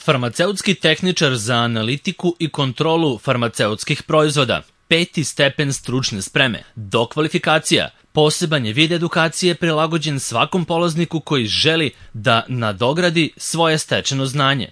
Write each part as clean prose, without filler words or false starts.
Farmaceutski tehničar za analitiku i kontrolu farmaceutskih proizvoda, 5. stepen stručne spreme, dokvalifikacija, poseban je vid edukacije prilagođen svakom polazniku koji želi da nadogradi svoje stečeno znanje.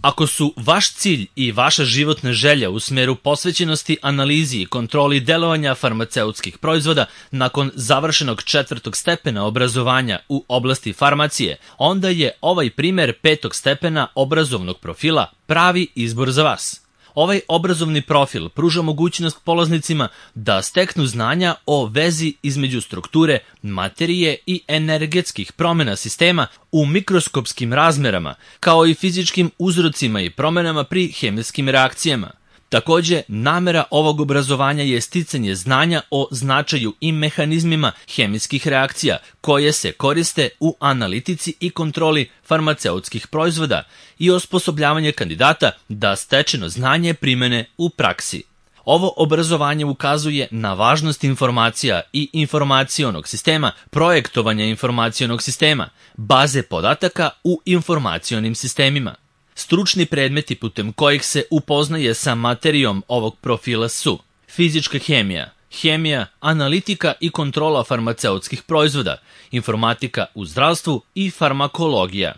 Ako su vaš cilj i vaša životna želja u smeru posvećenosti analizi i kontroli delovanja farmaceutskih proizvoda nakon završenog 4. stepena obrazovanja u oblasti farmacije, onda je ovaj primer 5. stepena obrazovnog profila pravi izbor za vas. Ovaj obrazovni profil pruža mogućnost polaznicima da steknu znanja o vezi između strukture, materije i energetskih promjena sistema u mikroskopskim razmerama, kao i fizičkim uzrocima i promjenama pri hemijskim reakcijama. Takođe, namera ovog obrazovanja je sticanje znanja o značaju i mehanizmima hemijskih reakcija koje se koriste u analitici i kontroli farmaceutskih proizvoda i osposobljavanje kandidata da stečeno znanje primene u praksi. Ovo obrazovanje ukazuje na važnost informacija i informacionog sistema, projektovanja informacionog sistema, baze podataka u informacionim sistemima. Stručni predmeti putem kojih se upoznaje sa materijom ovog profila su fizička hemija, hemija, analitika i kontrola farmaceutskih proizvoda, informatika u zdravstvu i farmakologija.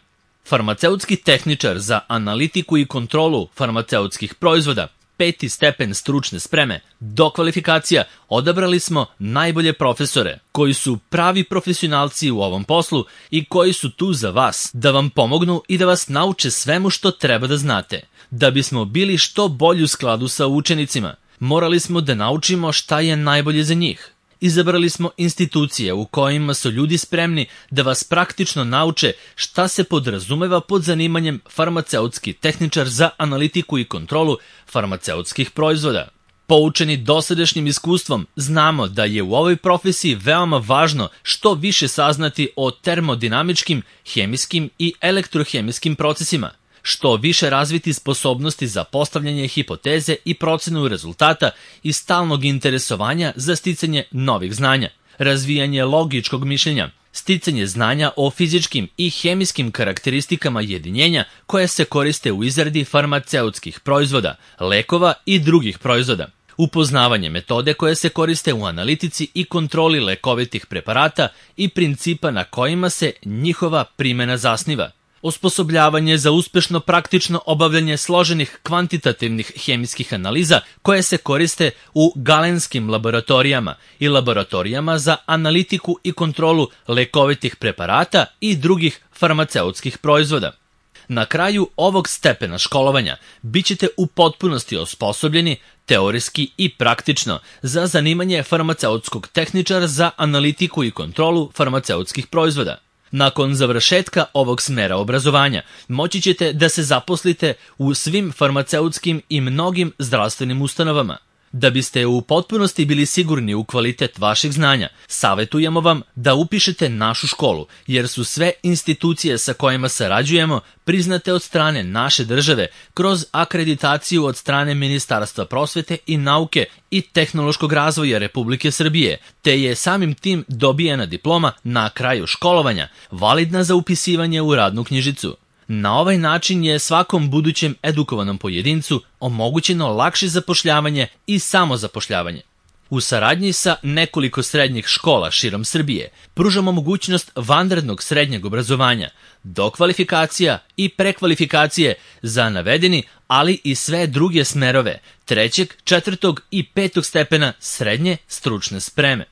Farmaceutski tehničar za analitiku i kontrolu farmaceutskih proizvoda, 5. stepen stručne spreme, dokvalifikacija, odabrali smo najbolje profesore koji su pravi profesionalci u ovom poslu i koji su tu za vas, da vam pomognu i da vas nauče svemu što treba da znate. Da bismo bili što bolji u skladu sa učenicima, morali smo da naučimo šta je najbolje za njih. Izabrali smo institucije u kojima su ljudi spremni da vas praktično nauče šta se podrazumeva pod zanimanjem farmaceutski tehničar za analitiku i kontrolu farmaceutskih proizvoda. Poučeni dosadašnjim iskustvom, znamo da je u ovoj profesiji veoma važno što više saznati o termodinamičkim, hemijskim i elektrohemijskim procesima, što više razviti sposobnosti za postavljanje hipoteze i procenu rezultata i stalnog interesovanja za sticanje novih znanja, razvijanje logičkog mišljenja, sticanje znanja o fizičkim i hemijskim karakteristikama jedinjenja koje se koriste u izradi farmaceutskih proizvoda, lekova i drugih proizvoda, upoznavanje metode koje se koriste u analitici i kontroli lekovitih preparata i principa na kojima se njihova primjena zasniva, osposobljavanje za uspešno praktično obavljanje složenih kvantitativnih hemijskih analiza koje se koriste u galenskim laboratorijama i laboratorijama za analitiku i kontrolu lekovitih preparata i drugih farmaceutskih proizvoda. Na kraju ovog stepena školovanja bit ćete u potpunosti osposobljeni teorijski i praktično za zanimanje farmaceutskog tehničara za analitiku i kontrolu farmaceutskih proizvoda. Nakon završetka ovog smera obrazovanja moći ćete da se zaposlite u svim farmaceutskim i mnogim zdravstvenim ustanovama. Da biste u potpunosti bili sigurni u kvalitet vaših znanja, savjetujemo vam da upišete našu školu, jer su sve institucije sa kojima sarađujemo priznate od strane naše države kroz akreditaciju od strane Ministarstva prosvete i nauke i tehnološkog razvoja Republike Srbije, te je samim tim dobijena diploma na kraju školovanja, validna za upisivanje u radnu knjižicu. Na ovaj način je svakom budućem edukovanom pojedincu omogućeno lakše zapošljavanje i samozapošljavanje. U saradnji sa nekoliko srednjih škola širom Srbije pružamo mogućnost vanrednog srednjeg obrazovanja, dokvalifikacija i prekvalifikacije za navedeni, ali i sve druge smerove 3., 4. i 5. stepena srednje stručne spreme.